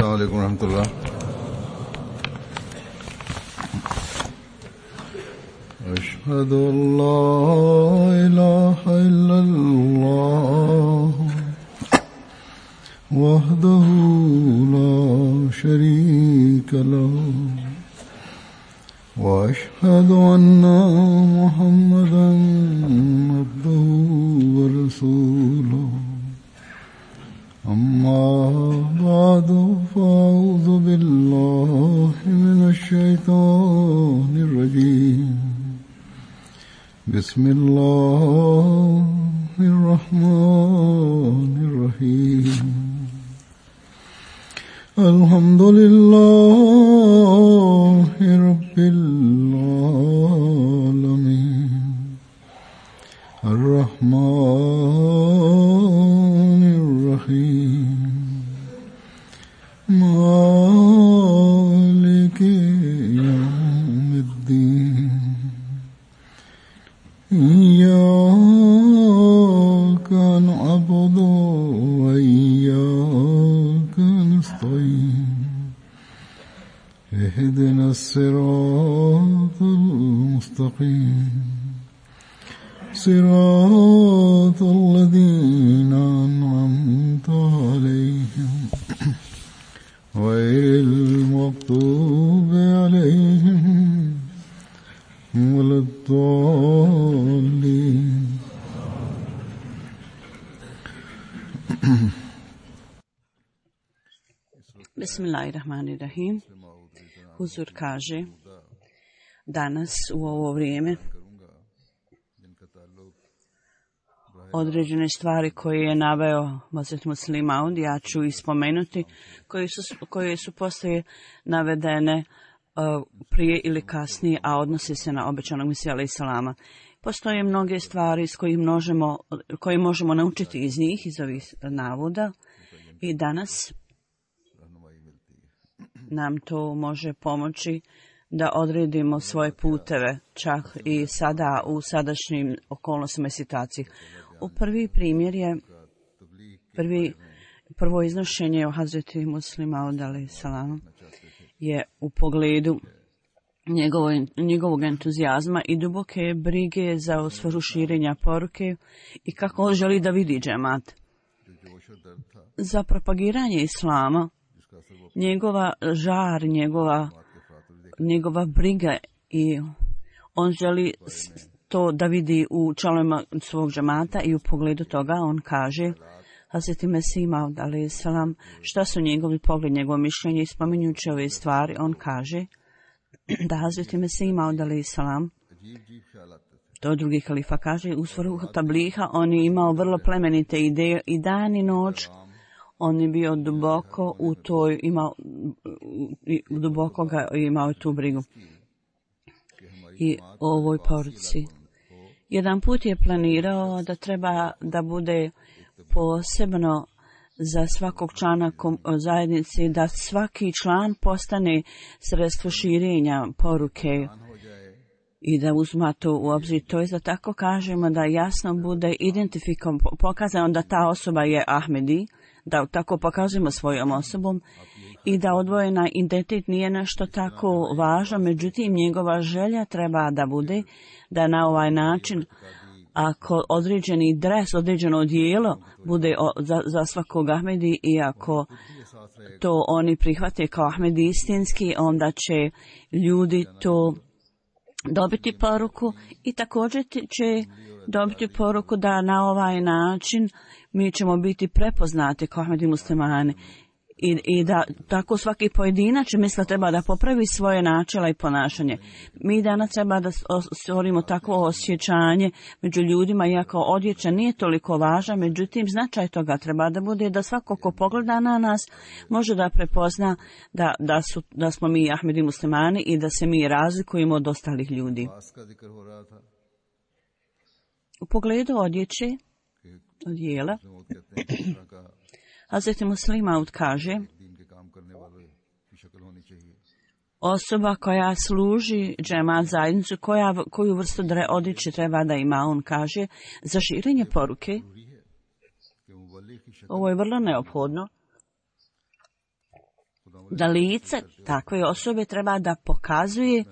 السلام عليكم ورحمة الله. أشهد أن لا إله إلا الله وحده لا شريك له وأشهد أن محمدا عبده ورسوله. أما بعد فأعوذ بالله من الشيطان الرجيم. بسم الله الرحمن الرحيم. الحمد لله رب العالمين الرحمن الرحيم مالك يوم الدين إياك نعبد وإياك نستعين اهدنا الصراط المستقيم صراط الذين أنعمت عليهم غير المغضوب عليهم ولا الضالين. Bismillahirrahmanirrahim. Huzur kaže, danas u ovo vrijeme određene stvari koje je naveo Hazret Muslih Maud, ja ću ih spomenuti, koje su poslije navedene prije ili kasnije, a odnosi se na obećanog Mesiju alejhi selama. Postoje mnoge stvari koje možemo naučiti iz njih, iz ovih navoda, i danas nam to može pomoći da odredimo svoje puteve, čak i sada u sadašnjim okolnostima i situaciji. U prvi primjer je prvo iznošenje o Hazreti Muslih Maud alejhi selam je u pogledu njegovog entuzijazma i duboke brige za svrhu širenja poruke i kako on želi da vidi džemat. Za propagiranje islama, njegova žar, njegova briga, i on želi to da vidi u članovima svog džemata, i u pogledu toga on kaže Hazreti Mesih Maud alejhi selam šta su njegovi pogled, njegovo mišljenje, i spominjući ove stvari on kaže da Hazreti Mesih Maud alejhi selam, to drugi halifa kaže, u svrhu tabliha on je imao vrlo plemenite ideje i dan i noć. On je bio duboko u toj, duboko ga imao tu brigu i o ovoj poruci. Jedan put je planirao da treba da bude posebno za svakog člana zajednice, da svaki član postane sredstvo širenja poruke i da uzma to u obzir. To je da tako kažemo da jasno bude identifikom pokazano da ta osoba je Ahmedi, da tako pokazujemo svojom osobom i da odvojena identitet nije nešto tako važno, međutim njegova želja treba da bude da na ovaj način, ako određeni dres, određeno odijelo bude za svakog Ahmedi, i ako to oni prihvate kao Ahmedi istinski, onda će ljudi to dobiti poruku i također će dobiti poruku da na ovaj način mi ćemo biti prepoznati kao Ahmedi muslimani, i da tako svaki pojedinac misla treba da popravi svoje načela i ponašanje. Mi danas treba da stvorimo takvo osjećanje među ljudima, iako odjeća nije toliko važna, međutim značaj toga treba da bude da svako ko pogleda na nas može da prepozna da smo mi Ahmedi muslimani i da se mi razlikujemo od ostalih ljudi. U pogledu odjela, Hazreti Muslih Maud kaže, osoba koja služi džemat zajednicu, koju vrstu odjeće treba da ima, on kaže, za širenje poruke. Ovo je vrlo neophodno. da lice takve osobe treba da pokazuje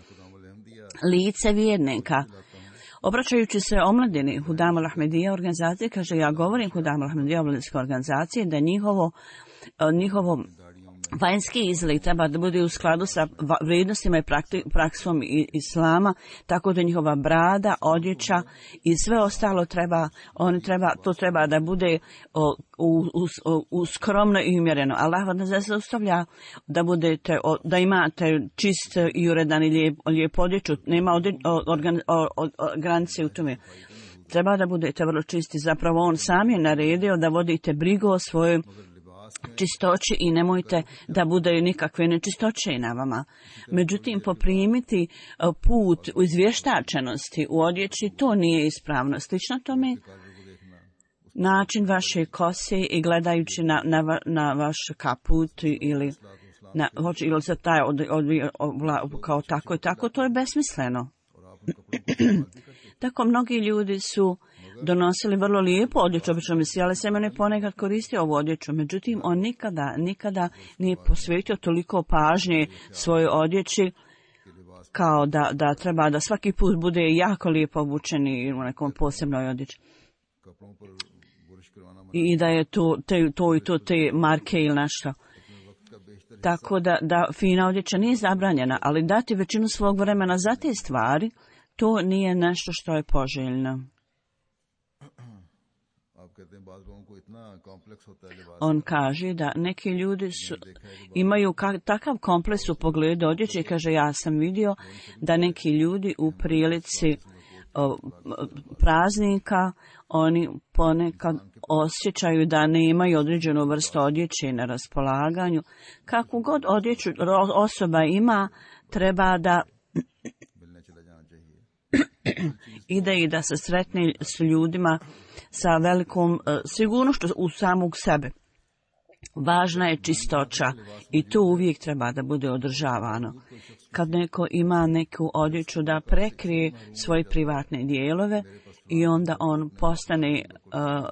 lice vjernika. Obraćajući se omladini Hudam al-Ahmedija organizacije, kaže, ja govorim Hudam al-Ahmedija omladinske organizacije da njihovo vanjski izgled treba da bude u skladu sa vrijednostima i praksom islama, tako da njihova brada, odjeća i sve ostalo to treba da bude skromno i umjereno. Allah vas ne zaustavlja da imate čist i uredan i lijep odjeću, nema granice u tome. Treba da budete vrlo čisti, zapravo on sam je naredio da vodite brigu o svojoj čistoći i nemojte da bude nikakve nečistoće na vama. Međutim, poprimiti put u izvještačenosti u odjeći, to nije ispravno. Slično tome, način vaše kose i gledajući na vaš kaput ili se taj kao tako i tako, to je besmisleno. Tako mnogi ljudi su donosili vrlo lijepu odjeću, obično misli, ali sam je ponekad koristio ovu odjeću. Međutim, on nikada nije posvetio toliko pažnje svojoj odjeći kao da treba da svaki put bude jako lijepo obučeni u nekom posebnoj odjeći. I da je to te marke ili nešto. Tako da fina odjeća nije zabranjena, ali dati većinu svog vremena za te stvari, to nije nešto što je poželjno. On kaže da neki ljudi imaju takav kompleks u pogledu odjeće i kaže, ja sam vidio da neki ljudi u prilici praznika oni ponekad osjećaju da ne imaju određenu vrstu odjeće na raspolaganju. Kakvu god odjeću osoba ima, treba da ide i da se sretne s ljudima sa velikom sigurnošću u samog sebe. Važna je čistoća i to uvijek treba da bude održavano. Kad neko ima neku odjeću da prekrije svoje privatne dijelove i onda on postane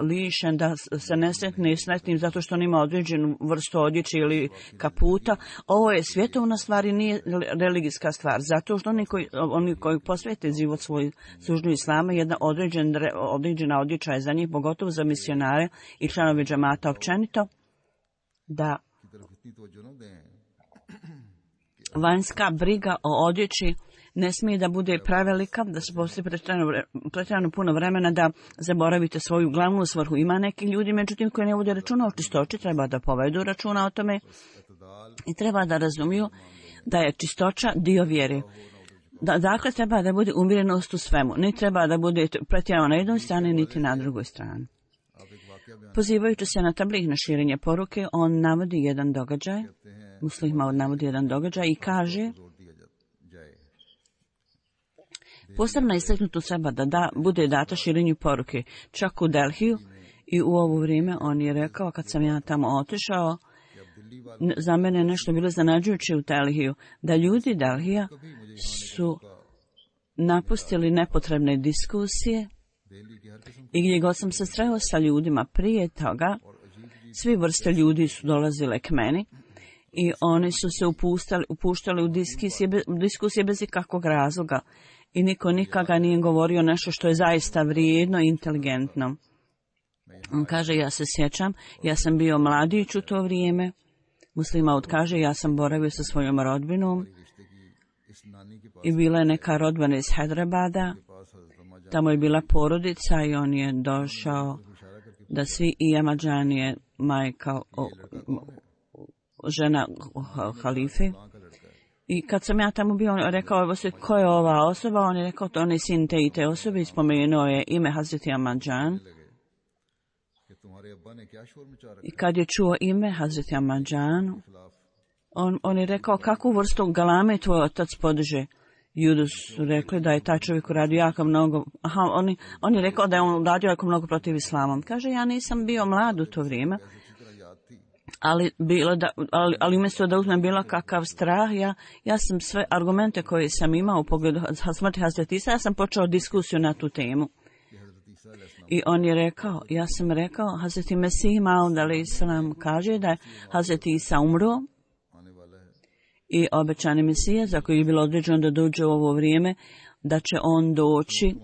lišen, da se ne sretne sretnim zato što on ima određenu vrstu odjeće ili kaputa. Ovo je svjetovna stvar i nije religijska stvar. Zato što oni koji posvete život svoj službu islama, jedna određena odjeća je za njih, pogotovo za misionare i članove džamata općenito, da vanjska briga o odjeći ne smije da bude prevelika, da se postoji pretjerano puno vremena da zaboravite svoju glavnu svrhu. Ima neki ljudi, međutim, koji ne vode računa o čistoći, treba da povedu računa o tome i treba da razumiju da je čistoća dio vjere. Dakle, treba da bude umjerenost u svemu. Ne treba da bude pretjerano na jednoj strani, niti na drugoj strani. Pozivajući se na tabligh, na širenje poruke, on navodi jedan događaj, Muslih navodi jedan događaj i kaže, posebno istaknuto treba da bude data širenju poruke, čak u Delhiju, i u ovo vrijeme on je rekao, kad sam ja tamo otišao, za mene nešto bilo zanađujuće u Delhiju, da ljudi Delhija su napustili nepotrebne diskusije i gdje god sam se sreo sa ljudima prije toga, svi vrste ljudi su dolazile k meni i oni su se upuštali u diskusije bez ikakvog razloga i niko nikada nije govorio nešto što je zaista vrijedno i inteligentno. On kaže, ja se sjećam, ja sam bio mladić u to vrijeme. Muslimaut kaže, ja sam boravio sa svojom rodbinom i bila je neka rodbina iz Hyderabada. Tamo je bila porodica i on je došao da svi i Ahmadžan je majka, žena halife. I kad sam ja tamo bio, on rekao, ko je ova osoba? On je rekao, to on je sin te i te osobe i spomenuo je ime Hazreti Ahmadžan. I kad je čuo ime Hazreti Ahmadžan, on je rekao, kakvu vrstu galame tvoj otac podiže? Ljudi su rekli da je taj čovjek uradio jako mnogo. On je rekao da je on uradio jako mnogo protiv islama. Kaže, ja nisam bio mlad u to vrijeme, ali umjesto da uzmem bilo kakav strah, ja sam sve argumente koje sam imao u pogledu smrti Hazreti Isa, ja sam počeo diskusiju na tu temu. I on je rekao, ja sam rekao, Hazreti Mesih Maud alejhi selam kaže da je Hazreti Isa umro i obećani Mesija za koji je bilo određeno da dođe u ovo vrijeme, da će on doći,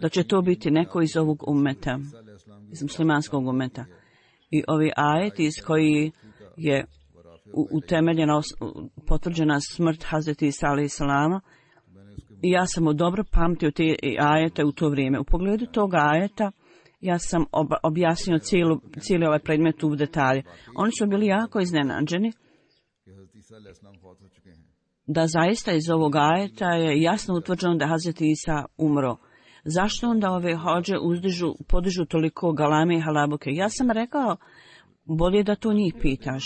da će to biti neko iz ovog umeta, iz muslimanskog umeta. I ovi ajeti iz koji je utemeljena, potvrđena smrt Hazreti Isa alejhi salama, i ja sam dobro pamtio te ajete u to vrijeme. U pogledu toga ajeta ja sam objasnio cijeli ovaj predmet u detalje. Oni su bili jako iznenađeni da zaista iz ovog ajeta je jasno utvrđeno da je Hazreti Isa umro. Zašto onda ove hođe podižu toliko galame i halabuke? Ja sam rekao, bolje da to njih pitaš.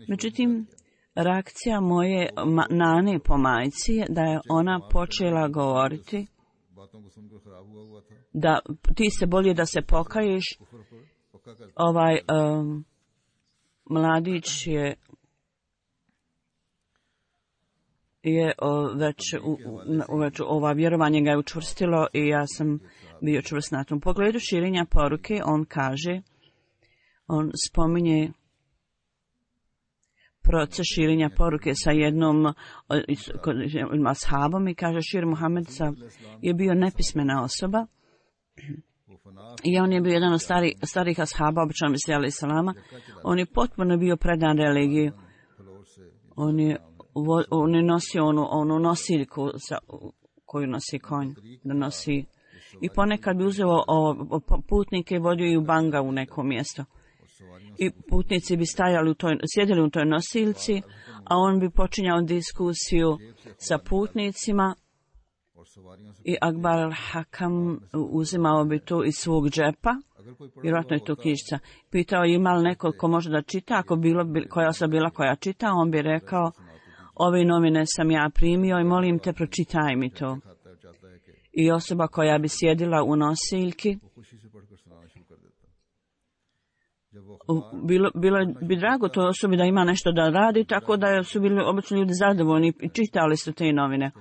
Međutim, reakcija moje nane po majci je da je ona počela govoriti da ti se bolje da se pokaješ. Ovaj mladić je već ova vjerovanje ga je učvrstilo i ja sam bio čvrst na tom pogledu širenja poruke. On spominje proces širenja poruke sa jednom ashabom i kaže Šir Muhammed je bio nepismena osoba i on je bio jedan od starih ashaba obećanog Mesija alejhi salama. On je potpuno bio predan religiji. On je nosio onu nosiljku koju nosi konj, da nosi, i ponekad bi uzeo putnike i vodio i u Banga u neko mjesto. I putnici bi sjedili u toj nosiljci, a on bi počinjao diskusiju sa putnicima i Akbar al-Hakam uzimao bi to iz svog džepa, vjerojatno je to knjižica. Pitao ima li neko ko može da čita, ako koja osoba bila koja čita, on bi rekao, ove novine sam ja primio i molim te pročitaj mi to. I osoba koja bi sjedila u nosiljki, bilo bi drago toj osobi da ima nešto da radi, tako da su bili obično ljudi zadovoljni i čitali su te novine.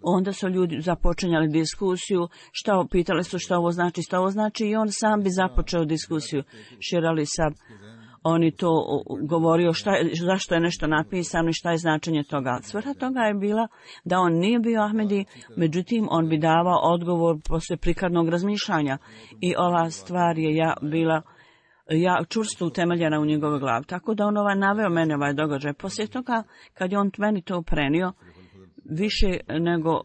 Onda su ljudi započinjali diskusiju, pitali su šta ovo znači i on sam bi započeo diskusiju. Šir Ali Sab, on je to govorio zašto je nešto napisano i šta je značenje toga. Svrha toga je bila da on nije bio Ahmedi, međutim on bi davao odgovor poslije prikladnog razmišljanja i ova stvar je bila čvrsto utemeljena u njegovoj glavi. Tako da on naveo mene ovaj događaj. Poslije toga, kad je on meni to prenio, više nego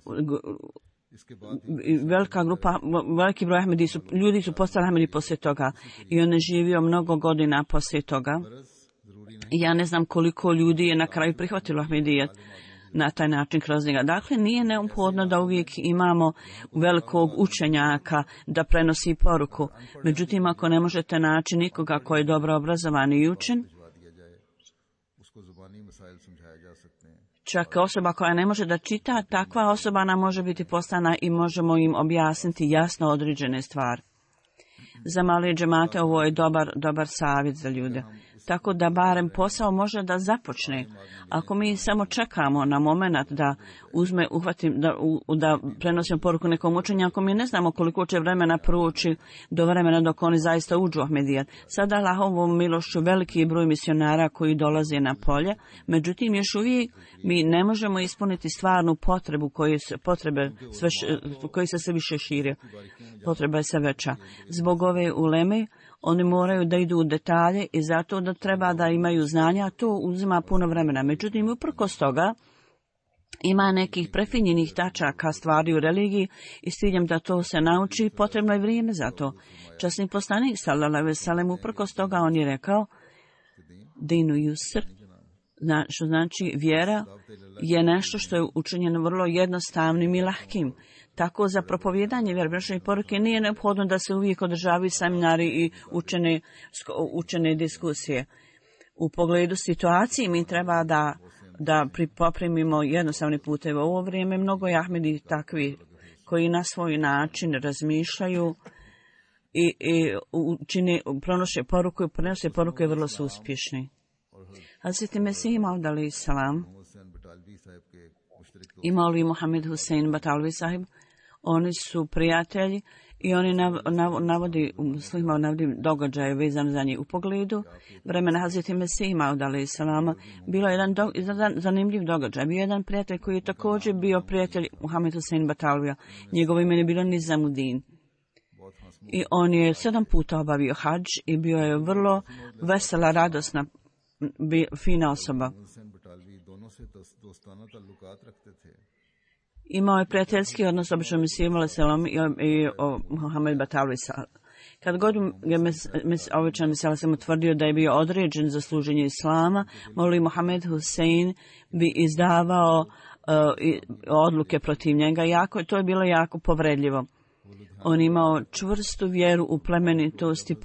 veliki broj ljudi su postali Ahmedi poslije toga i on je živio mnogo godina poslije toga. I ja ne znam koliko ljudi je na kraju prihvatilo Ahmedijet na taj način kroz njega. Dakle, nije neophodno da uvijek imamo velikog učenjaka da prenosi poruku. Međutim, ako ne možete naći nikoga koji je dobro obrazovan i učen, čak osoba koja ne može da čita, takva osoba nam može biti postana i možemo im objasniti jasno određene stvari. Za male džemate ovo je dobar savjet za ljude. Tako da barem posao može da započne. Ako mi samo čekamo na moment da da prenosimo poruku nekom učenju, ako mi ne znamo koliko će vremena proći do vremena dok oni zaista uđu u Ahmedijat. Sada Allahovom milošću veliki broj misionara koji dolaze na polje, međutim još uvijek mi ne možemo ispuniti stvarnu potrebu koji se sve više šire. Potreba je sve veća. Zbog ove uleme oni moraju da idu u detalje i zato da treba da imaju znanja, to uzima puno vremena. Međutim, uprkos toga ima nekih prefinjenih tačaka stvari u religiji i s ciljem da to se nauči, potrebno je vrijeme za to. Časni poslanik sallallahu alejhi ve sellem uprkos toga on je rekao dinu yusr, što znači vjera je nešto što je učinjeno vrlo jednostavnim i lahkim. Tako za propovijedanje vjerobrašne poruke nije neophodno da se uvijek održavaju seminari i učene diskusije. U pogledu situacije mi treba da poprimimo jednostavne puteve. U ovo vrijeme mnogo je Ahmedi takvi koji na svoj način razmišljaju i prenose poruku i vrlo su uspješni. Hazreti Mesih Maud alejhi salam i Maulvi Muhammed Husein Batalvi sahib, oni su prijatelji I oni navodi događaje vezane za njih u pogledu vremena Hazreti Mesih Maud alejhi selama. Bilo je jedan zanimljiv događaj. Bio jedan prijatelj koji je također bio prijatelj Muhammed Husein Batalvija. Njegovo ime je bilo Nizamuddin. I on je 7 puta obavio hadž i bio je vrlo vesela, radosna, fina osoba. Imao je prijateljski odnos obično Mesihom alejhi selam i Muhammed Batalvi. Kad god je običan Mesih sam utvrdio da je bio određen za služenje Islama, Maulvi Muhammed Husein bi izdavao odluke protiv njega. To je bilo jako povredljivo. On imao čvrstu vjeru u plemenitost i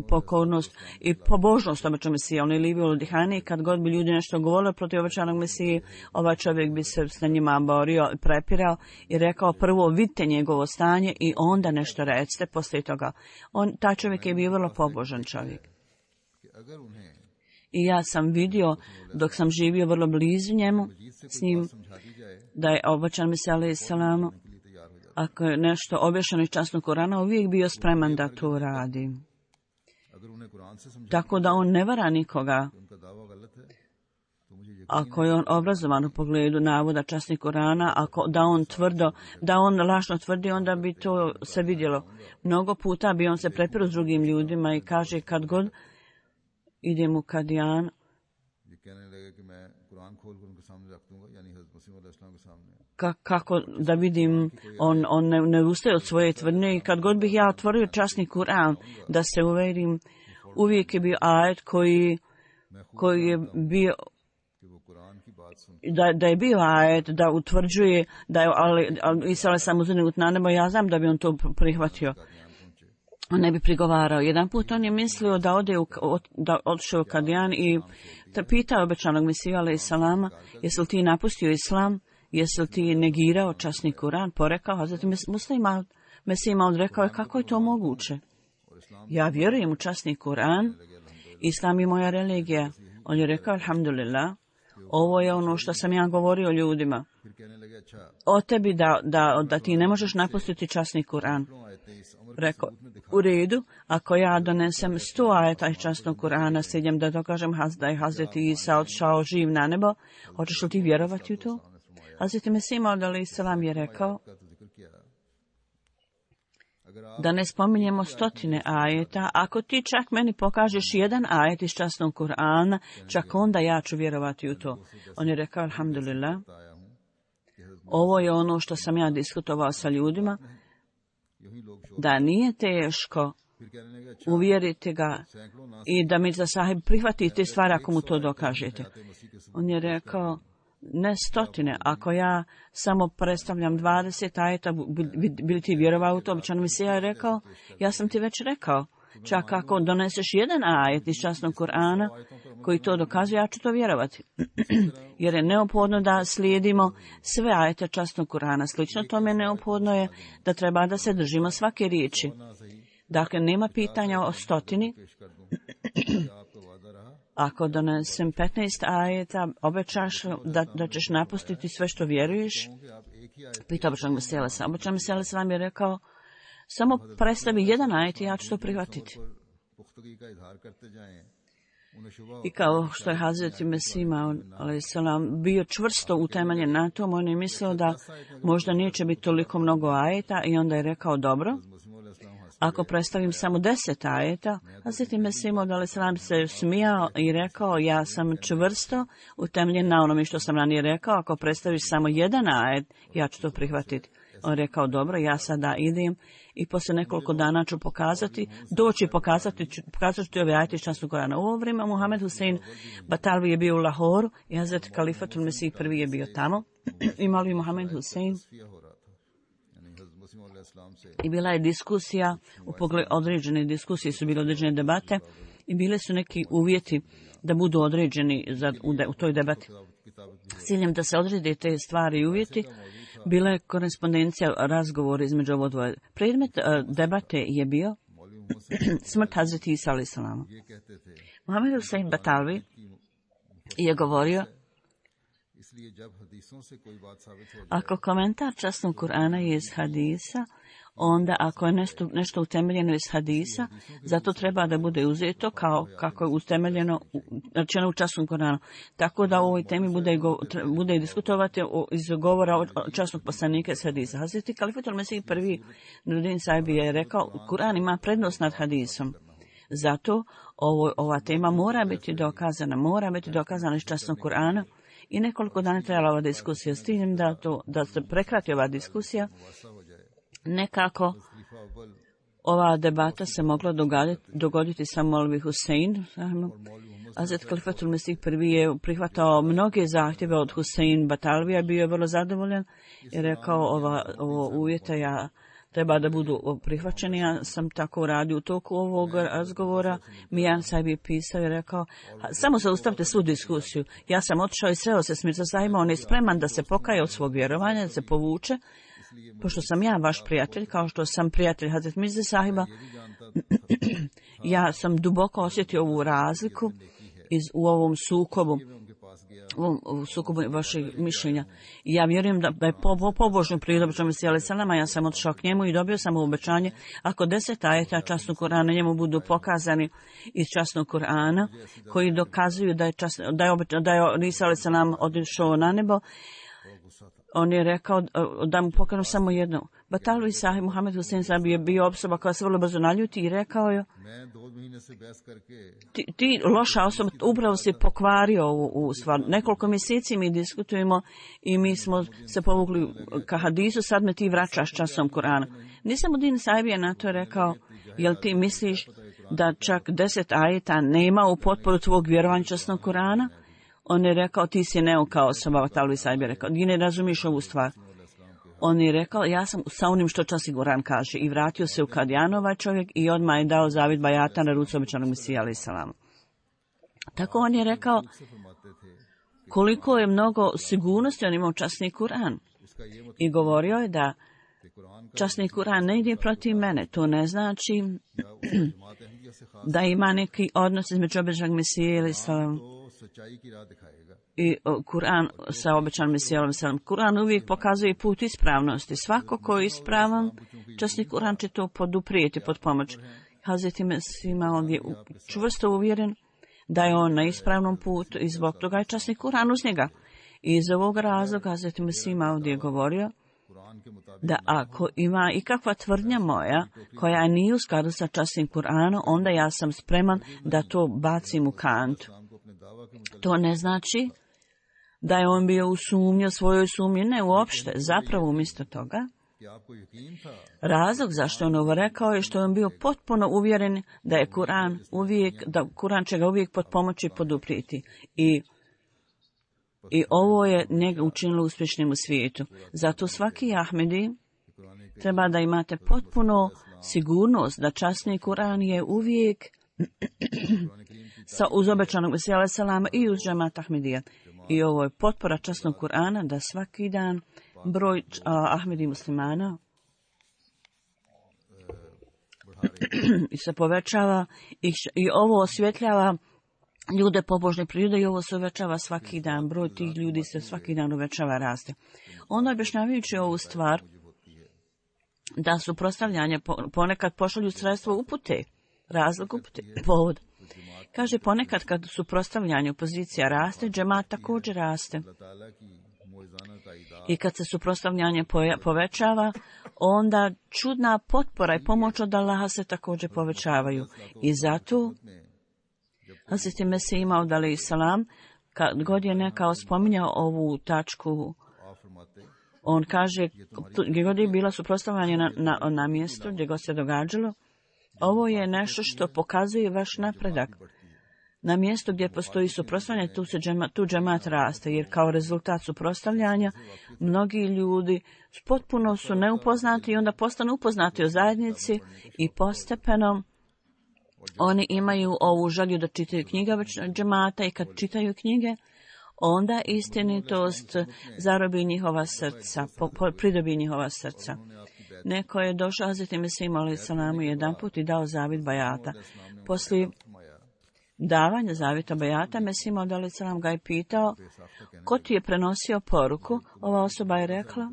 pokornost i pobožnost običnog Mesija. On je livio u Dihani i kad god bi ljudi nešto govorili protiv običanog Mesije, ovaj čovjek bi se s njima borio i prepirao i rekao prvo vidite njegovo stanje i onda nešto recite poslije toga. Taj čovjek je bio vrlo pobožan čovjek. I ja sam vidio dok sam živio vrlo blizu njemu s njim da je običan Mesija alejhi selam, ako je nešto objašnjeno iz časnog Kurana, uvijek bio spreman da to radi. Tako da on ne vara nikoga. Ako je on obrazovan u pogledu navoda časnih Kurana, da on lažno tvrdi, onda bi to se vidjelo. Mnogo puta bi on se prepirao s drugim ljudima i kaže kad god idem u Kadijan, kako da vidim, on ne ustaje od svoje tvrdnje i kad god bih ja otvorio časni Kur'an da se uvjerim, uvijek je bio ajet koji je bio da je bio ajet da utvrđuje da je Isa alejhi selam uzdignut na nebo, ja znam da bi on to prihvatio. On ne bi prigovarao. Jedan put on je mislio da odšao u Kadijan i pitao obećanog Mesiju alejhi selama, jesi li ti napustio Islam? Jesi li ti negirao časni Kur'an? Porekao, a zatim Mesih Maud rekao je kako je to moguće? Ja vjerujem u časni Kur'an, Islam je moja religija. On je rekao, alhamdulillah, ovo je ono što sam ja govorio ljudima. O tebi da ti ne možeš napustiti časni Kur'an. Rekao, u redu, ako ja donesem 100 ajeta iz časnog Kur'ana s ciljem da dokažem da je Hazreti Isa odšao živ na nebo, hoćeš li ti vjerovati u to? Hazreti Mesih Maud alejhi selam je rekao da ne spominjemo 100 ajeta. Ako ti čak meni pokažeš jedan ajet iz časnog Kur'ana, čak onda ja ću vjerovati u to. On je rekao, alhamdulillah, ovo je ono što sam ja diskutovao sa ljudima, da nije teško uvjeriti ga i da Mirza Sahib prihvati te stvari ako mu to dokažete. On je rekao, ne 100, ako ja samo predstavljam 20 ajeta, bili ti vjerovao u to? Običan Mesija je rekao, ja sam ti već rekao, čak ako doneseš jedan ajet iz časnog Kur'ana koji to dokazuje, ja ću to vjerovati. Jer je neophodno da slijedimo sve ajete časnog Kur'ana. Slično tome neophodno je da treba da se držimo svake riječi. Dakle, nema pitanja o 100. Ako donesem 15 ajeta, obećaš da ćeš napustiti sve što vjeruješ? Pitao običnog Mesija alejhi selam. Običan Mesija alejhi selam je rekao, samo predstavi jedan ajet i ja ću to prihvatiti. I kao što je Hazreti Mesih Maud alejhi selam bio čvrsto utemeljen na tom, on je mislio da možda neće biti toliko mnogo ajeta i onda je rekao, dobro, ako predstavim samo 10 ajeta, Hazreti Mesih Maud alejhi selam se smijao i rekao, ja sam čvrsto utemeljen na onome što sam ranije rekao, ako predstaviš samo jedan ajet, ja ću to prihvatiti. On je rekao, dobro, ja sada idem i poslije nekoliko dana ću pokazat ću ove ajete iz časnog Kur'ana. U ovo vrijeme Muhammed Husein Batalvi je bio u Lahoru i Hazret Kalifatul Mesih prvi je bio tamo. Imali Muhammed Husein i bila je diskusija, u pogledu određene diskusije su bile određene debate i bile su neki uvjeti da budu određeni u toj debati. S ciljem da se odrede te stvari i uvjeti, bila je korespondencija, razgovor između ovo dvoje. Predmet debate je bio smrt Hazreti Isa alejhi selama. Muhammed Husein Batalvi je govorio, ako komentar časnog Kur'ana je iz hadisa, onda ako je nešto utemeljeno iz hadisa, zato treba da bude uzeto kako je utemeljeno rečeno u časnom Koranu. Tako da u ovoj temi bude diskutovati iz govora o časnog poslanika iz hadisa. Hazreti Kalifatul Mesih prvi Nuruddin Sahibi je rekao, Kur'an ima prednost nad hadisom. Zato ova tema mora biti dokazana iz časnog Kur'ana. I nekoliko dana trajala ova diskusija s tim da se prekrati ova diskusija. Nekako ova debata se mogla dogoditi sa Molvi Husein. Hazret Kalifatul Mesih prvi je prihvatao mnoge zahtjeve od Husein Batalvija, bio je vrlo zadovoljan i rekao ovo uvjete treba da budu prihvaćeni. Ja sam tako uradio u toku ovog razgovora. Mijan Sahib je pisao i rekao, samo zaustavite svu diskusiju. Ja sam otišao i sreo se s Mirza Sahibom, on je spreman da se pokaje od svog vjerovanja, da se povuče, pošto sam ja vaš prijatelj, kao što sam prijatelj Hazret Mirza Sahiba. Ja sam duboko osjetio ovu razliku u ovom sukobu vašeg mišljenja. I ja vjerujem da je pobožno prirobećom Mesija Salama, ja sam otišao k njemu i dobio sam obećanje, ako 10 ajeta časnog Kur'ana njemu budu pokazani iz časnog Kur'ana, koji dokazuju da je Isa Salam otišao na nebo, on je rekao da mu pokažu samo jedno. Batalvi Sahib Muhammed Husein Sahib je bio osoba koja se vrlo brzo naljuti i rekao je, ti loša osoba, upravo si pokvario ovu stvar. Nekoliko mjeseci mi diskutujemo i mi smo se povukli ka hadisu, sad me ti vraćaš časom Kur'ana. Nisamuddin Sahib je na to rekao, jel ti misliš da čak 10 ajeta nema u potporu tvog vjerovanja časnog Kur'ana? On je rekao, ti si neuka osoba, Batalvi Sahib je rekao, ti ne razumiješ ovu stvar. On je rekao, ja sam sa onim što časni Kur'an kaže, i vratio se u Kadjanova čovjek i odmah je dao zavid bajata na ruci obećanog Mesija alejhi selam. Tako on je rekao koliko je mnogo sigurnosti on imao časni Kur'an. I govorio je da časni Kur'an ne ide protiv mene. To ne znači da ima neki odnos između obećanog Mesija alejhi selam i Kur'an sa obećanim Mesijom alejhi selam. Kur'an uvijek pokazuje put ispravnosti. Svako ko je ispravan, časni Kur'an će to poduprijeti pod pomoć. Hazreti Mesih je čvrsto uvjeren da je on na ispravnom putu i zbog toga je časni Kur'an uz njega. I iz ovog razloga Hazreti Mesih ovdje je govorio da ako ima ikakva tvrdnja moja koja nije u skladu sa časnim Kur'anom, onda ja sam spreman da to bacim u kantu. To ne znači da je on bio u sumnji, svojoj sumnji, ne uopšte. Zapravo umjesto toga, razlog zašto je on ovo rekao je što je on bio potpuno uvjeren da je Kur'an će ga uvijek pod pomoći poduprijeti. I ovo je njega učinilo uspješnim u svijetu. Zato svaki Ahmedi treba da imate potpuno sigurnost da časni Kur'an je uvijek uz obećanog Mesija alejhi selama i uz džemat Ahmedija. I ovo je potpora časnog Kur'ana da svaki dan broj Ahmedi muslimana se povećava i ovo osvjetljava ljude pobožne prirode i ovo se uvećava svaki dan. Broj tih ljudi se svaki dan uvećava, raste. Onda objašnjavajući ovu stvar da su prostavljanja ponekad pošalju sredstvo upute, razlog upute, povod. Kaže, ponekad kad su prostavljanje opozicija raste, džemat također raste. I kad se suprotstavljanje povećava, onda čudna potpora i pomoć od Allaha se također povećavaju. I zato Hazreti Mesih Maud alejhi selam, kad god je neka spominjao ovu tačku, on kaže, gdje god je bila suprotstavljanje na mjestu, gdje god se događalo, ovo je nešto što pokazuje vaš napredak. Na mjestu gdje postoji suprotstavljanje, tu džemat raste, jer kao rezultat suprotstavljanja mnogi ljudi potpuno su neupoznati i onda postanu upoznati o zajednici i postepeno oni imaju ovu želju da čitaju knjige džemata i kad čitaju knjige, onda istinitost zarobi njihova srca, pridobi njihova srca. Neko je došao Hazreti Mesih alejhi selam jedan put i dao zavid bajata. Poslije davanja zavita bajata, Mesih alejhi selam ga je pitao, ko ti je prenosio poruku? Ova osoba je rekla,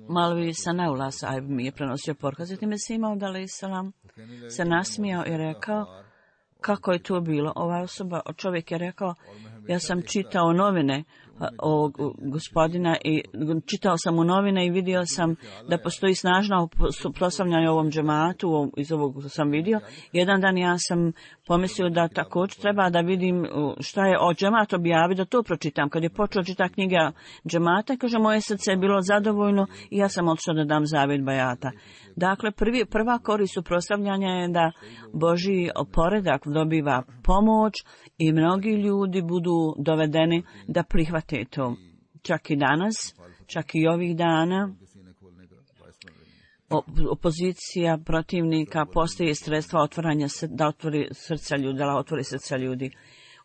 Malvi Sanaullah sahib mi je prenosio porukaz i time se imao alejhi salam se nasmijao i rekao kako je to bilo. Ova osoba, čovjek je rekao, ja sam čitao novine ovog gospodina i čitao sam u novine i vidio sam da postoji snažno suprotstavljanje ovom džematu, iz ovog sam vidio. Jedan dan ja sam pomislio da također treba da vidim šta je o džemat objavi, da to pročitam. Kad je počeo čitati knjiga džemata, kaže, moje srce je bilo zadovoljno i ja sam otišao da dam zavjet bajata. Dakle, prva korist suprotstavljanja je da Božji poredak dobiva pomoć i mnogi ljudi budu dovedeni da prihvate to. Čak i danas, čak i ovih dana, opozicija protivnika postoji sredstva otvaranja, da otvori srca ljudi, da otvori srca ljudi.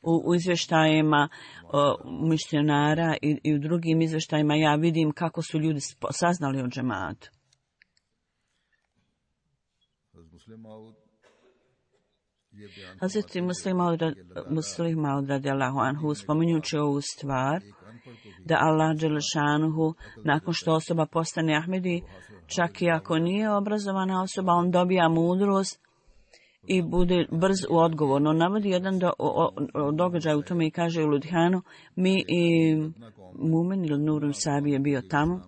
U izvještajima mišljenara i u drugim izvještajima ja vidim kako su ljudi saznali o džematu. Hazreti Muslim Maud radijallahu anhu spominjući ovu stvar da Allah dželešanuhu nakon što osoba postane Ahmedi, čak i ako nije obrazovana osoba, on dobija mudrost i bude brz u odgovoru. On navodi jedan događaj u tome i kaže u Ludhanu, mi i Mumen ili Nurun Sabi je bio tamo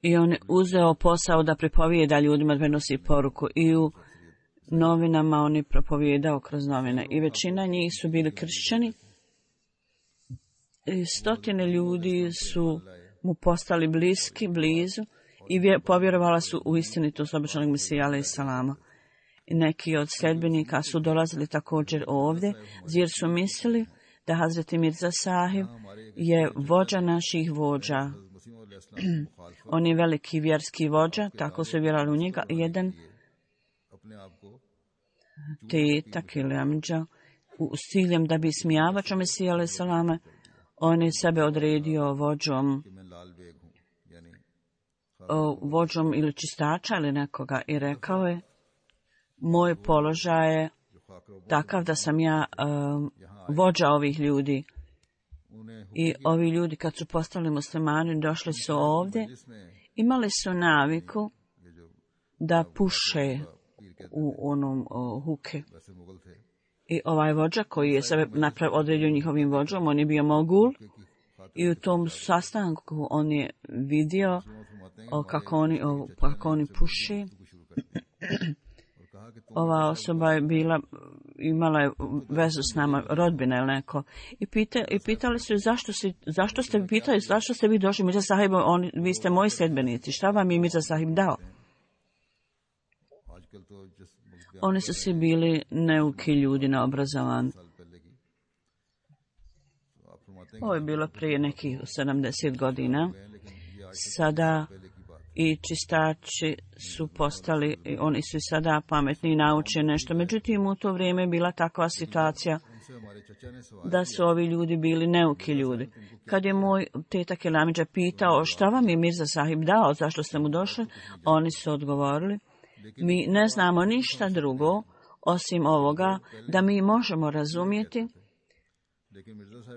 i on je uzeo posao da pripovijeda ljudima, da prenosi poruku i u novinama on je propovijedao kroz novine i većina njih su bili kršćani i stotine ljudi su mu postali blizu i povjerovala su u istinitost obećanog Mesija alejhi salama. I neki od sljedbenika su dolazili također ovdje jer su mislili da Hazreti Mirza Sahib je vođa naših vođa. On je veliki vjerski vođa, tako su vjerovali u njega. Jedan tetak ili amidža s ciljem da bi smijavačo Mesija alejhi salama, on je sebe odredio vođom ili čistača ili nekoga i rekao je, moj položaj je takav da sam ja vođa ovih ljudi. I ovi ljudi kad su postali muslimani došli su ovdje, imali su naviku da puše u onom huke. I ovaj vođa koji je sebe odredio njihovim vođom, on je bio mogul i u tom sastanku on je vidio kako oni puše. Ova osoba je imala je vezu s nama, rodbina ili neko. I pitali su zašto ste vi došli, Mirza Sahib, vi ste moji sljedbenici, šta vam je Mirza Sahib dao? Oni su svi bili neuki ljudi na obrazovan. Ovo je bilo prije nekih 70 godina. Sada i čistači su postali, oni su i sada pametni i nauče nešto. Međutim, u to vrijeme je bila takva situacija da su ovi ljudi bili neuki ljudi. Kad je moj tetak Elamidža pitao šta vam je Mirza Sahib dao, zašto ste mu došli, oni su odgovorili, mi ne znamo ništa drugo osim ovoga da mi možemo razumjeti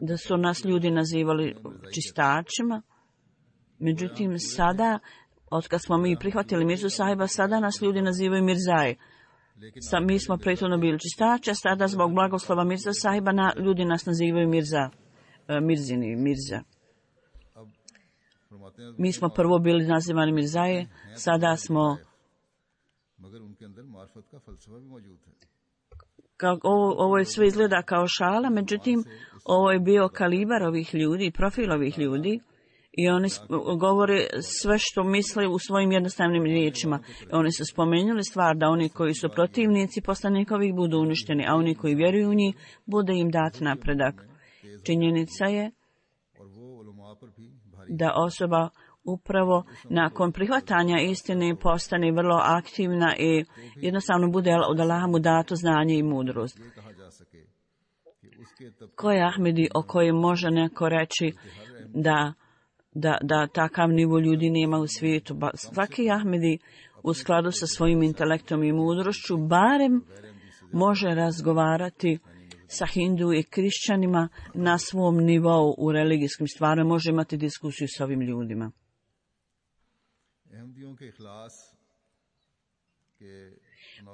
da su nas ljudi nazivali čistačima. Međutim, sada, otkad smo mi prihvatili Mirzu Sahiba, sada nas ljudi nazivaju Mirzaje. Mi smo prethodno bili čistači, a sada zbog blagoslova Mirza Sahiba ljudi nas nazivaju Mirza. Mi smo prvo bili nazivani Mirzaje, sada smo... Ovo je sve izgleda kao šala, međutim, ovo je bio kalibar ovih ljudi, profil ovih ljudi, i oni govore sve što misle u svojim jednostavnim riječima. Oni su spomenuli stvar da oni koji su protivnici poslanikovih budu uništeni, a oni koji vjeruju u njih bude im dat napredak. Činjenica je da osoba upravo nakon prihvatanja istine postane vrlo aktivna i jednostavno bude od Allaha mu dato znanje i mudrost. Ko je Ahmedi o kojem može neko reći da takav nivo ljudi nema u svijetu? Svaki Ahmedi u skladu sa svojim intelektom i mudrošću barem može razgovarati sa Hindu i Krišćanima na svom nivou u religijskim stvarima može imati diskusiju s ovim ljudima.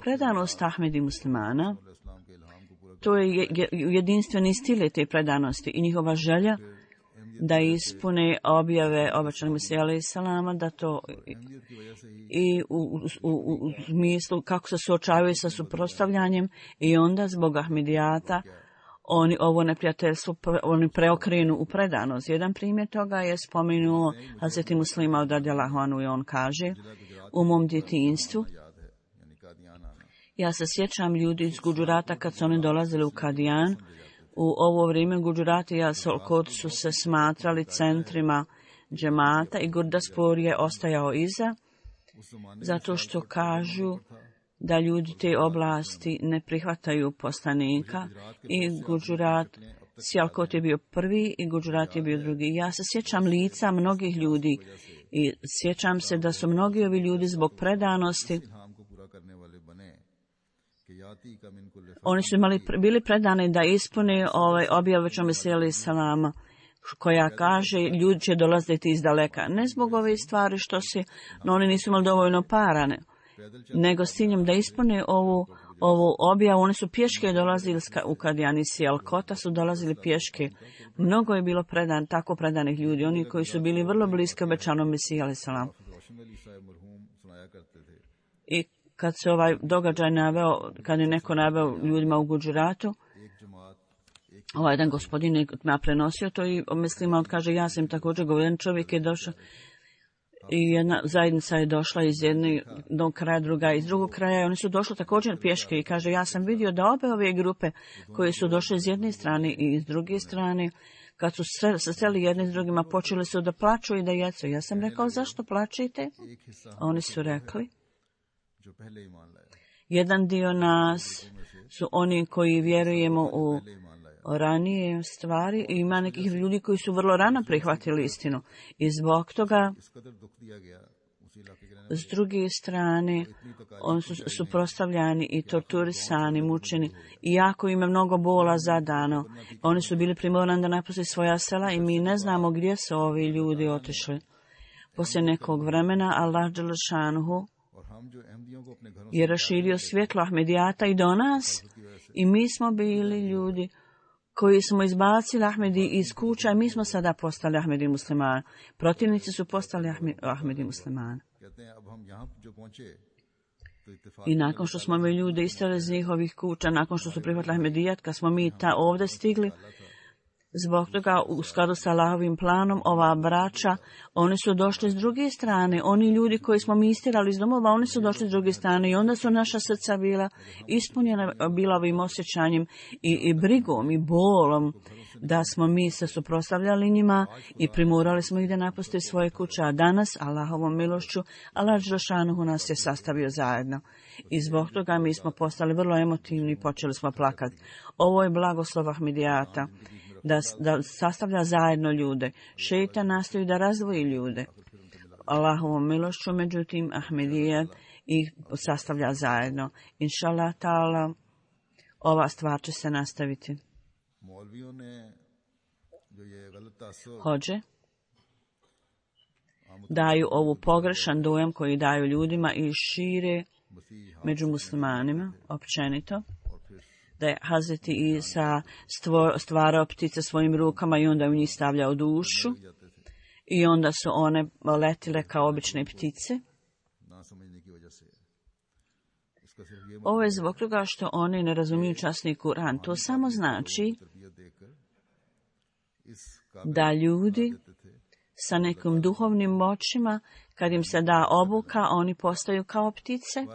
Predanost Ahmedi muslimana, to je jedinstveni stil te predanosti i njihova želja da ispune objave obećanog Mesija alejhi salama, da to i u smislu kako se suočavaju sa suprotstavljanjem i onda zbog Ahmedijata oni ovo neprijateljstvo oni preokrenu u predanost. Jedan primjer toga je spomenuo Hazreti Muslima od radijallahu anhu i on kaže: u mom djetinjstvu ja se sjećam ljudi iz Gudžurata kad su oni dolazili u Kadijan. U ovo vrijeme Gudžurati i Sialkot su se smatrali centrima džemata i Gurdaspur je ostajao iza, zato što kažu da ljudi te oblasti ne prihvataju poslanika i Gudžurat, Sialkot je bio prvi i Gudžurat je bio drugi. Ja se sjećam lica mnogih ljudi i sjećam se da su mnogi ovi ljudi zbog predanosti oni su bili predani da ispune objavu obećanog Mesija alejhi salama koja kaže ljudi će dolaziti iz daleka. Ne zbog ove stvari što se, no oni nisu imali dovoljno parane, nego s ciljem da ispune ovu objavu. Oni su pješke dolazili u Kadijan iz Sialkota, su dolazili pješke. Mnogo je bilo tako predanih ljudi, oni koji su bili vrlo bliski obećanom Mesiji alejhi salam. I kad se ovaj događaj naveo, kad je neko naveo ljudima u Gudžuratu, ovaj jedan gospodin je prenosio to i mislim, on kaže, ja sam također govorio, čovjek je došao i jedna zajednica je došla iz jednog kraja, druga iz drugog kraja i oni su došli također pješke i kaže, ja sam vidio da obe ove grupe koje su došle s jedne strane i iz druge strane, kad su se sreli jedni s drugima, počeli su da plaču i da jecu. Ja sam rekao, zašto plačite? Oni su rekli, jedan dio nas su oni koji vjerujemo u ranije stvari i ima nekih ljudi koji su vrlo rano prihvatili istinu. I zbog toga, s druge strane, oni su suprotstavljani i torturisani, mučeni. I jako im je mnogo bola zadano. Oni su bili primorani da napuste svoja sela i mi ne znamo gdje su ovi ljudi otišli. Poslije nekog vremena, Allah dželle šanuhu je raširio svjetlo Ahmedijata i do nas i mi smo bili ljudi koji smo izbacili Ahmedi iz kuća i mi smo sada postali Ahmedi muslimani. Protivnici su postali Ahmedi muslimani. I nakon što smo mi ljude istali iz njihovih kuća, nakon što su prihvatili Ahmedijat, kad smo mi ovdje stigli, zbog toga, u skladu sa Allahovim planom, ova braća, oni su došli s druge strane. Oni ljudi koji smo mi istirali iz domova, oni su došli s druge strane i onda su naša srca bila ispunjena bila ovim osjećanjem i brigom i bolom da smo mi se suprotstavljali njima i primorali smo ih da napuste svoje kuće. A danas, Allahovom milošću, Allah dželle šanuhu nas je sastavio zajedno. I zbog toga mi smo postali vrlo emotivni i počeli smo plakati. Ovo je blagoslov Ahmedijata. Da sastavlja zajedno ljude. Šejtan nastoji da razdvoji ljude. Allahovom milošću, međutim, Ahmedijat ih sastavlja zajedno. Inšallah ta'ala, ova stvar će se nastaviti. Hođe daju ovu pogrešan dojam koji daju ljudima i šire među muslimanima, općenito, da je Hazreti Isa stvarao ptice svojim rukama i onda u njih stavljao dušu i onda su one letile kao obične ptice. Ovo je zbog toga što oni ne razumiju časni Kur'an. To samo znači da ljudi sa nekim duhovnim moćima, kad im se da obuka, oni postaju kao ptice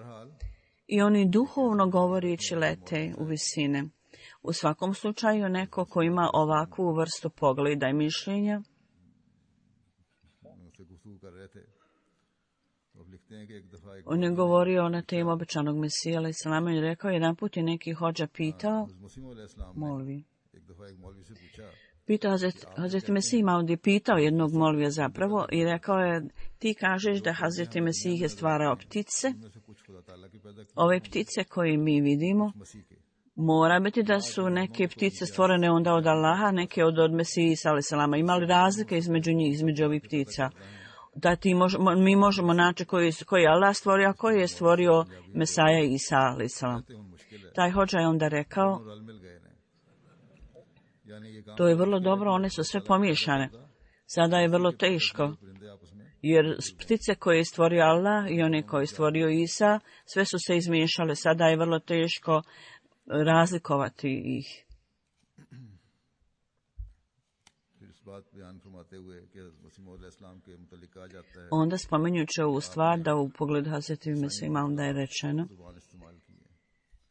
i oni duhovno govoreći lete u visine. U svakom slučaju neko ko ima ovakvu vrstu pogleda i mišljenja, on je govorio na temu obećanog Mesija alejhi selam i rekao, jedan put je neki hođa pitao, Hazreti Mesih Maud je pitao jednog molvija zapravo i rekao je, ti kažeš da Hazreti Mesih je stvarao ptice, ove ptice koje mi vidimo, Mora biti da su neke ptice stvorene onda od Allaha, neke od Mesije Isa alejhi selama. Ima li razlike između njih, između ovih ptica? Da mi možemo naći koji je Allah stvorio, a koji je stvorio Mesaja Isa alejhi selam. Taj hodža je onda rekao, to je vrlo dobro, one su sve pomiješane. Sada je vrlo teško, jer ptice koje je stvorio Allah i one koje je stvorio Isa, sve su se izmiješale. Sada je vrlo teško razlikovati ih. Onda spominjući ovu stvar da u pogledu Hazreti Mesima onda je rečeno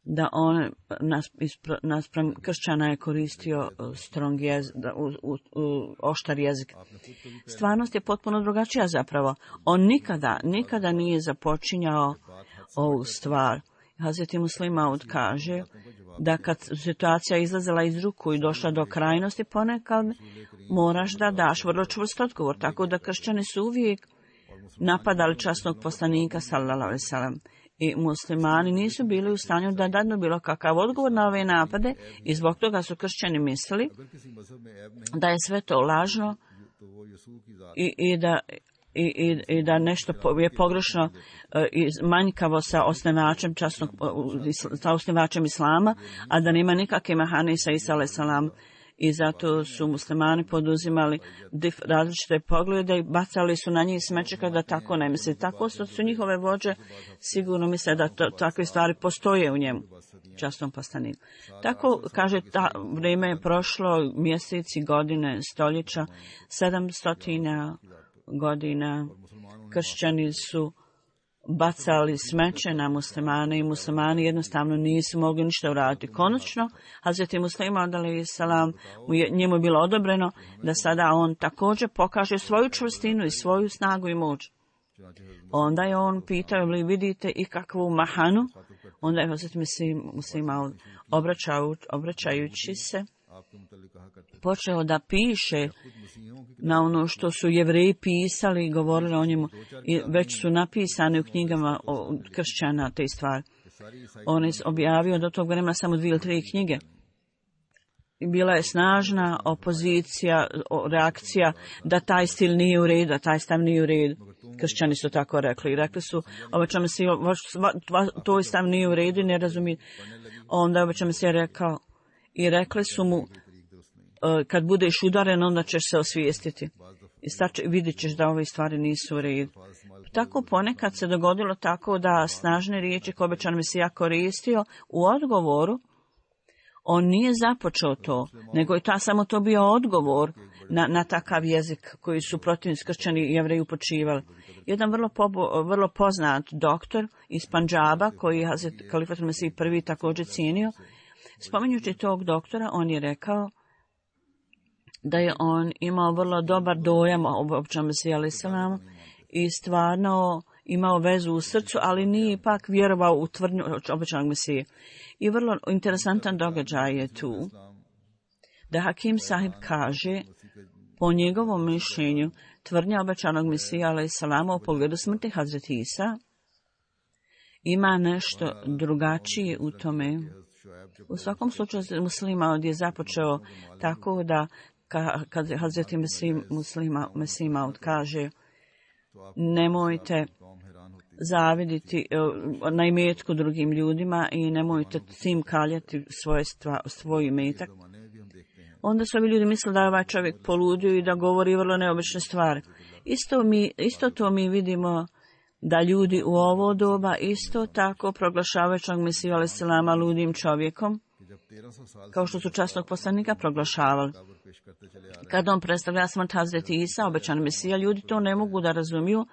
da on naspram kršćana je koristio strong jezik, oštar jezik. Stvarnost je potpuno drugačija zapravo. On nikada nije započinjao ovu stvar. Hazreti Muslima kaže da kad situacija izlazila iz ruku i došla do krajnosti, ponekad moraš da daš vrlo čvrst odgovor. Tako da kršćani su uvijek napadali časnog poslanika sallallahu alejhi ve sellem. I muslimani nisu bili u stanju da dadnu bilo kakav odgovor na ove napade i zbog toga su kršćani mislili da je sve to lažno i da nešto je pogrešno i manjkavo sa osnivačem islama, a da nema nikakve mahane sa Isa alejhi selam. I zato su muslimani poduzimali različite poglede i bacali su na njih smeće kada tako ne misli. Tako su njihove vođe sigurno misle da takve stvari postoje u njemu, časnom poslaniku. Tako, kaže, vrijeme je prošlo, mjeseci, godine, stoljeća, 700 godina kršćani su bacali smeće na muslimane i muslimani jednostavno nisu mogli ništa uraditi. Konačno, Hazreti Muslima alejhi selam, njemu je bilo odobreno da sada on također pokaže svoju čvrstinu i svoju snagu i moć. Onda je on pitao, li vidite i kakvu mahanu? Onda je Hazreti Muslima obraćajući se počeo da piše na ono što su Jevreji pisali i govorili o njemu. I već su napisane u knjigama kršćana te stvari. On je objavio do tog vremena samo 2 ili 3 knjige. Bila je snažna opozicija, reakcija da taj stil nije u redu, da taj stav nije u redu. Kršćani su tako rekli. I rekli su, obećam se, tvoj stav nije u redu i ne razumije. Onda obećam se rekao i rekli su mu, kad budeš udaren, onda ćeš se osvijestiti. I vidjet ćeš da ove stvari nisu u redu. Tako ponekad se dogodilo tako da snažne riječi koje obećan Mesija koristio u odgovoru, on nije započeo to, nego je samo to bio odgovor na takav jezik koji su protivnici kršćani i Jevreji upočivali. Jedan vrlo poznat doktor iz Pandžaba, koji je Kalifat Mesih prvi također cijenio, spominjući tog doktora, on je rekao da je on imao vrlo dobar dojam o obećanom Mesiji alejhi selam i stvarno imao vezu u srcu, ali nije ipak vjerovao u tvrdnju obećanog Mesije. I vrlo interesantan događaj je tu da Hakim Sahib kaže, po njegovom mišljenju, tvrdnja obećanog Mesija alejhi selam u pogledu smrti Hazreti Isa ima nešto drugačije u tome. U svakom slučaju Muslima je započeo tako da kad Hazreti Mesima kaže, nemojte zaviditi na imetku drugim ljudima i nemojte tim kaljati svoj imetak. Onda su ovi ljudi mislili da je ovaj čovjek poludio i da govori vrlo neobične stvari. Isto to mi vidimo da ljudi u ovo doba isto tako proglašavaju Mesiju alejhi selama ludim čovjekom, kao što su časnog poslanika proglašavali. Kad on predstavlja smrt Hazreti Isa, obećan Mesija, ljudi to ne mogu da razumiju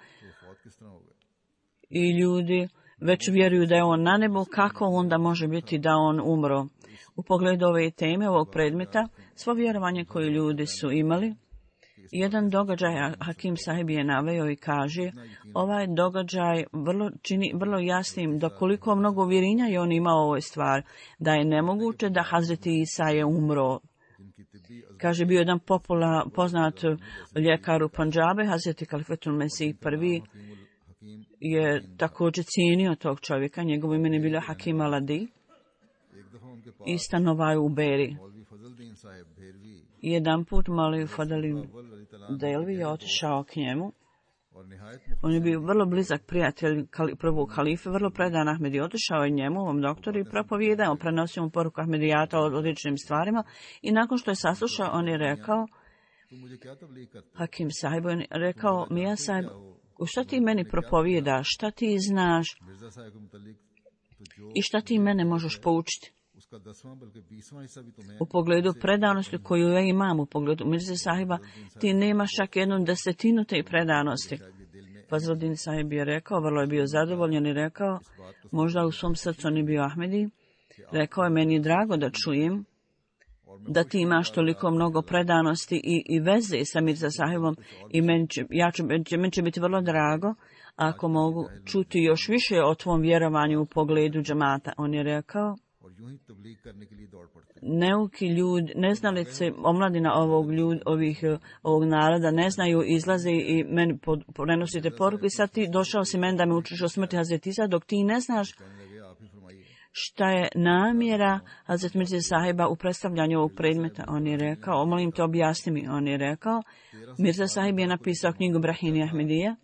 i ljudi već vjeruju da je on na nebu, kako onda može biti da on umro. U pogledu ove teme, ovog predmeta, svo vjerovanje koje ljudi su imali, jedan događaj Hakim Sahib je naveo i kaže, ovaj događaj čini vrlo jasnim da koliko mnogo uvjerenja je on imao u ovoj stvari, da je nemoguće da Hazreti Isa je umro. Kaže, bio jedan poznat ljekar u Pandžabe, Hazreti Kalifatul Mesih prvi je također cijenio tog čovjeka, njegovo ime je bilo Hakim Aladi. i stanovaju u Beri. Jedan put Maulvi Fadl Delvi je otišao k njemu. On je bio vrlo blizak prijatelj prvog halife, vrlo predan Ahmedi. Otišao je njemu, ovom doktoru, i propovijedao, prenosio mu poruku Ahmedijata o odličnim stvarima. I nakon što je saslušao, on je rekao, Hakim Sahib, on je rekao, Mija Sahib, šta ti meni propovijedaš, šta ti znaš i šta ti mene možeš poučiti u pogledu predanosti koju ja imam u pogledu Mirze Sahiba, ti nemaš čak 1/10 te predanosti. Fazluddin Sahib je rekao, vrlo je bio zadovoljan i rekao, možda u svom srcu on je bio Ahmedi, rekao je, meni je drago da čujem da ti imaš toliko mnogo predanosti i veze sa Mirza Sahibom i meni će biti vrlo drago ako mogu čuti još više o tvom vjerovanju u pogledu džamata. On je rekao, neuki ljudi, neznalice, omladina ovog naroda ne znaju, izlaze i meni prenosite poruku i sad ti došao si meni da me učiš o smrti Hazreti Isa, dok ti ne znaš šta je namjera Hazret Mirze Sahiba u predstavljanju ovog predmeta. On je rekao, molim te objasni mi, on je rekao, Mirza Sahib je napisao knjigu Brahini Ahmedija.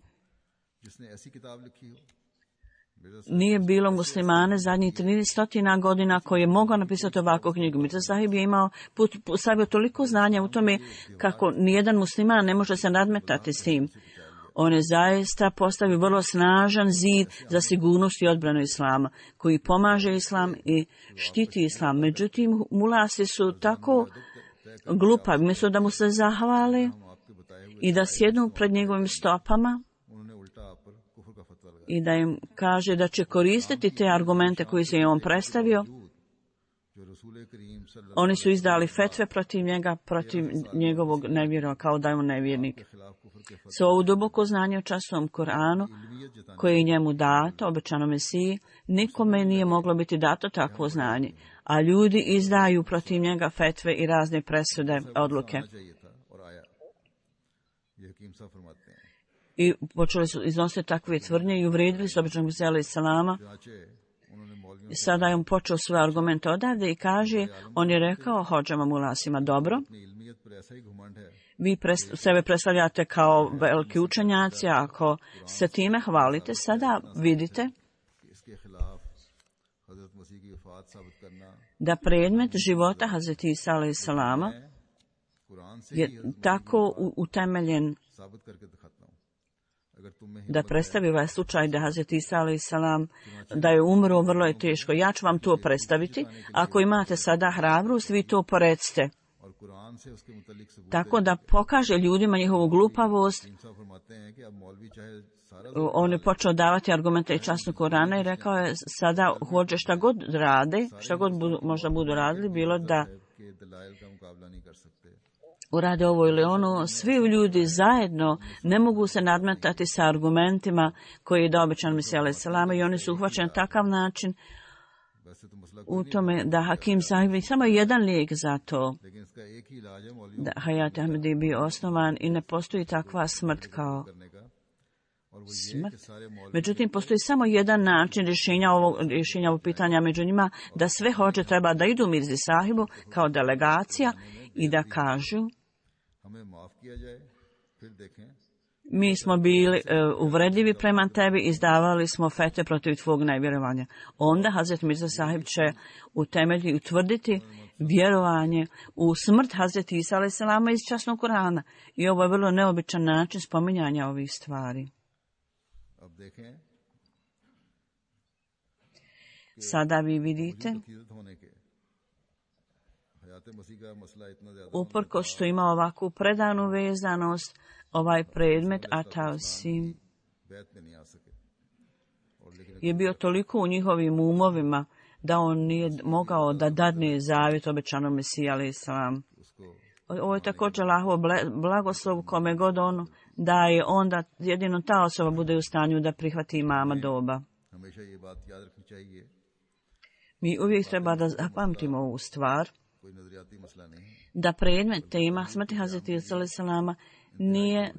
Nije bilo muslimane zadnjih 300 godina koji je mogao napisati ovakvu knjigu. Mirza Sahib je imao stavio toliko znanja u tome kako nijedan musliman ne može se nadmetati s tim. On je zaista postavio vrlo snažan zid za sigurnost i odbranu islama, koji pomaže islam i štiti islam. Međutim, mulasi su tako glupavi, umjesto da mu se zahvale i da sjednu pred njegovim stopama i da im kaže da će koristiti te argumente koje se je on predstavio. Oni su izdali fetve protiv njega, protiv njegovog nevjerova, kao da je on nevjernik. Sa ovo duboko znanje o časnom Koranu, koje je njemu dato, obećano Mesiji, nikome nije moglo biti dato takvo znanje. A ljudi izdaju protiv njega fetve i razne presude, odluke. I počeli su iznositi takve tvrdnje i uvrijedili su običnog Mesija alejhi selama. Sada je on počeo svoje argumente odavde i kaže, on je rekao hodžama mulasima, dobro, vi sebe predstavljate kao veliki učenjaci, ako se time hvalite, sada vidite da predmet života Hazreti Isa alejhi selama je tako utemeljen da predstavi ovaj slučaj da Hazreti Isa alejhi selam da je umro, vrlo je teško. Ja ću vam to predstaviti. Ako imate sada hrabrost, vi to porecite. Tako da pokaže ljudima njihovu glupavost. On je počeo davati argumente i časnu Korana i rekao je, sada hođe šta god rade, šta god možda budu radili, bilo da urade ovo ili ono, svi ljudi zajedno ne mogu se nadmetati sa argumentima koji je dao obećan Mesija alejhi selam i oni su uhvaćeni na takav način u tome da Hakim Sahib je samo jedan lijek za to da Hayat Ahmedi bio osnovan i ne postoji takva smrt kao smrt. Međutim, postoji samo jedan način rješenja ovog pitanja, među njima da sve hođe treba da idu Mirzi Sahibu kao delegacija i da kažu, mi smo bili uvredljivi prema tebi, izdavali smo fetve protiv tvog nevjerovanja. Onda Hazret Mirza Sahib će utemeljiti i utvrditi vjerovanje u smrt Hazreti Isa alejhi selama iz časnog Kurana. I ovo je vrlo neobičan način spominjanja ovih stvari. Sada vi vidite, uprkos što ima ovakvu predanu vezanost, ovaj predmet Atausim je bio toliko u njihovim umovima da on nije mogao da dadne zavjet obećanom Mesiji alejhi selam. Ovo je također Allahov blagoslov kome god on daje, onda jedino ta osoba bude u stanju da prihvati imama doba. Mi uvijek treba da zapamtimo ovu stvar, da predmet tema smrti Hazreti Isa alejhi selama nije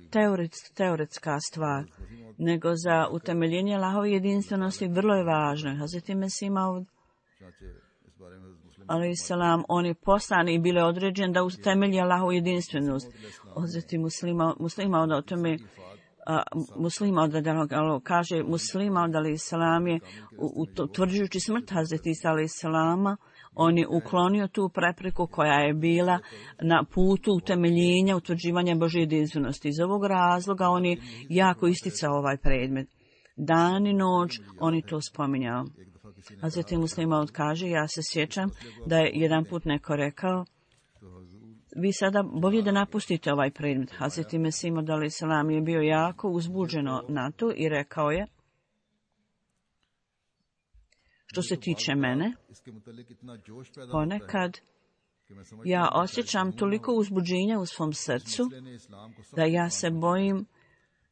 teoretska stvar, nego za utemeljenje Allahove jedinstvenosti vrlo je važno. Hazreti Mesih Maud a.s. on je poslan i bile određen da utemelji Allahovu jedinstvenost. Hazreti Muslima od o tome Muslima od kaže Muslima od a.s. je utvrđujući smrt Hazreti Isa a.s. on je uklonio tu prepreku koja je bila na putu utemeljenja, utvrđivanja Božje jedinstvenosti. Iz ovog razloga on je jako isticao ovaj predmet. Dan i noć on je to spominjao. Hazreti Muslima kaže, ja se sjećam da je jedan put neko rekao, vi sada bolje da napustite ovaj predmet. Hazreti Mesih Maud a.s. je bio jako uzbuđeno na to i rekao je, što se tiče mene, ponekad ja osjećam toliko uzbuđenja u svom srcu da ja se bojim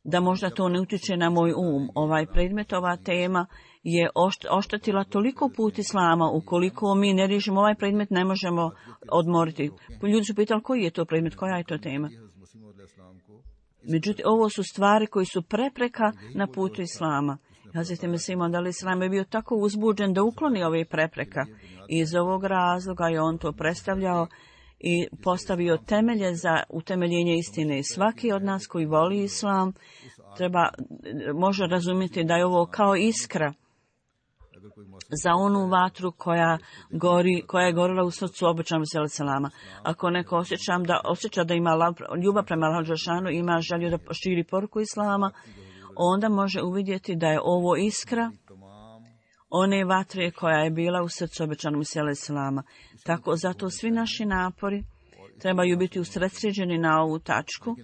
da možda to ne utječe na moj Ovaj predmet, ova tema je oštetila toliko put Islama. Ukoliko mi ne riješimo ovaj predmet, ne možemo odmoriti. Ljudi su pitali koji je to predmet, koja je to tema. Međutim, ovo su stvari koji su prepreka na putu Islama. Hazreti Mesih Maud a.s. je bio tako uzbuđen da ukloni ove prepreka. Iz ovog razloga je on to predstavljao i postavio temelje za utemeljenje istine. Svaki od nas koji voli Islam može razumjeti da je ovo kao iskra za onu vatru koja je gorila u srcu obećanog selama. Ako neko osjeća da ima ljubav prema Allahu dželešanu, ima želju da širi poruku Islama, onda može uvidjeti da je ovo iskra one vatre koja je bila u srcu obećanog selama. Tako, zato svi naši napori trebaju biti usredsređeni na ovu tačku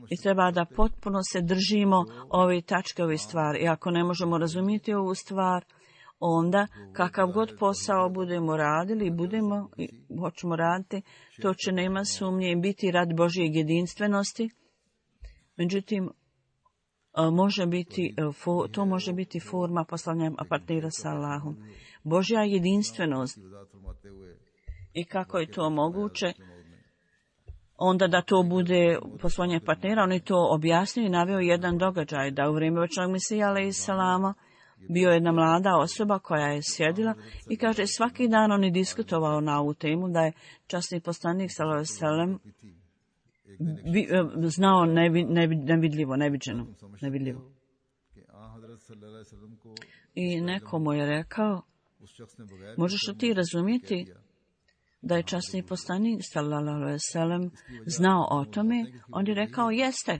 i treba da potpuno se držimo ove tačke, ove stvari. I ako ne možemo razumjeti ovu stvar, onda kakav god posao budemo radili i hoćemo raditi, to će nema sumnje biti rad Božje jedinstvenosti. Međutim, to može biti forma poslanja partnera sa Allahom. Božja jedinstvenost. I kako je to moguće? Onda da to bude poslanje partnera, on je to objasnio i naveo jedan događaj, da u vrijeme obećanog Mesija a.s. bio jedna mlada osoba koja je sjedila i kaže svaki dan on je diskutovao na ovu temu, da je časni poslanik s.a.v. znao nevidljivo. I neko mu je rekao, možeš li ti razumjeti da je časni poslanik s.a.v. znao o tome? On je rekao, jeste.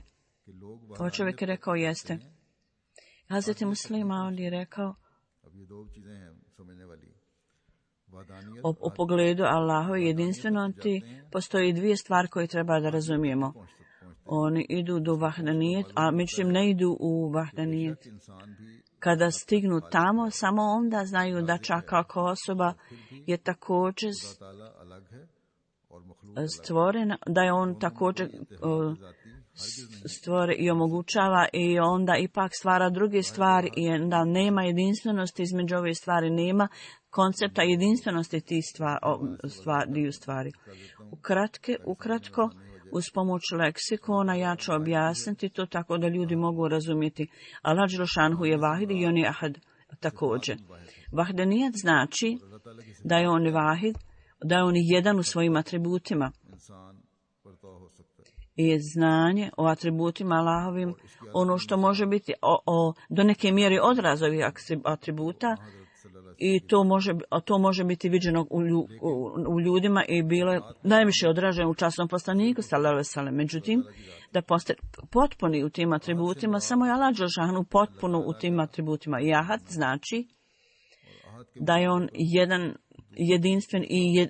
To čovjek je rekao, jeste. Hazreti Muslima, on je rekao, u pogledu Allahove jedinstvenosti postoji dvije stvari koje treba da razumijemo. Oni idu do vahdanijet, a međutim ne idu u vahdanijet. Kada stignu tamo, samo onda znaju da čak ako osoba je također stvorena, da je on također stvore i omogućava i onda ipak stvara druge stvari i onda nema jedinstvenosti između ove stvari, nema koncepta jedinstvenosti tih stvari. Ukratko, uz pomoć leksikona ja ću objasniti to tako da ljudi mogu razumjeti. Allah dželešanu je vahid i on je ahad također. Vahdanijat znači da je on vahid, da je on jedan u svojim atributima. I znanje o atributima Allahovim, ono što može biti do neke mjere odraz ovih atributa, i to može biti viđeno u ljudima i bilo najviše odraženo u časnom poslaniku s.a.v. Međutim, da postane potpuni u tim atributima, samo je Allah dželešanu potpuno u tim atributima. I ahad znači da je on jedan jedinstven i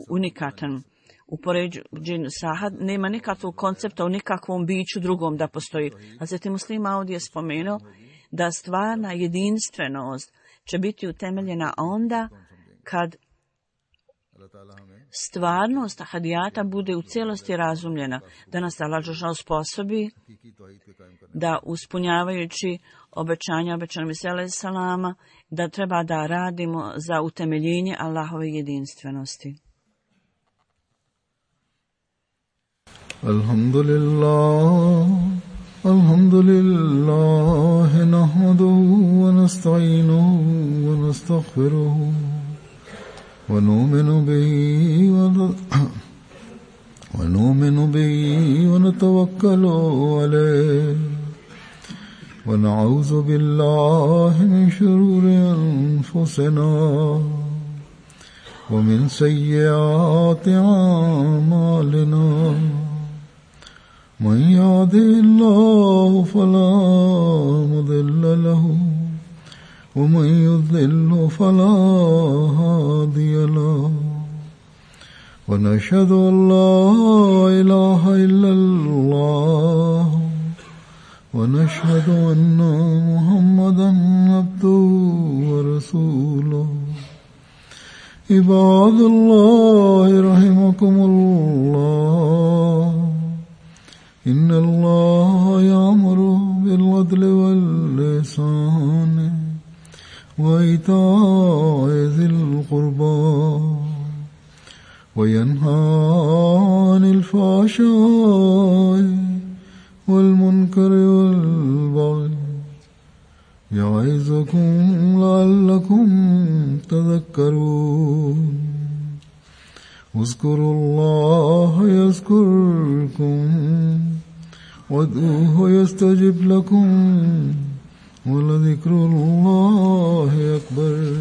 unikatan. Upoređen sa ahad nema nikakvog koncepta u nikakvom biću drugom da postoji. Hazreti Muslima ovdje je spomenuo da stvarna jedinstvenost će biti utemeljena onda kad stvarnost ahadijata bude u cijelosti razumljena, da nas Allah dželešanu sposobi da uspunjavajući obećanja obećanog Mesija alejselama, da treba da radimo za utemeljenje Allahove jedinstvenosti. Alhamdulillah nahmaduhu wa nasta'inuhu wa nastaghfiruhu ونؤمن به ونتوكل عليه ونعوذ بالله من شرور أنفسنا ومن سيئات أعمالنا من يهده الله فلا مضل له ومن يضلل فلا هادي له ونشهد أن لا إله إلا الله ونشهد أن محمدا عبده ورسوله عباد الله رحمكم الله إن الله يأمر بالعدل والإحسان وإيتاء ذي القربى وينهى عن الفحشاء والمنكر والبغي يعظكم لعلكم تذكرون اذكروا الله يذكركم وادعوه يستجب لكم ولذكر الله أكبر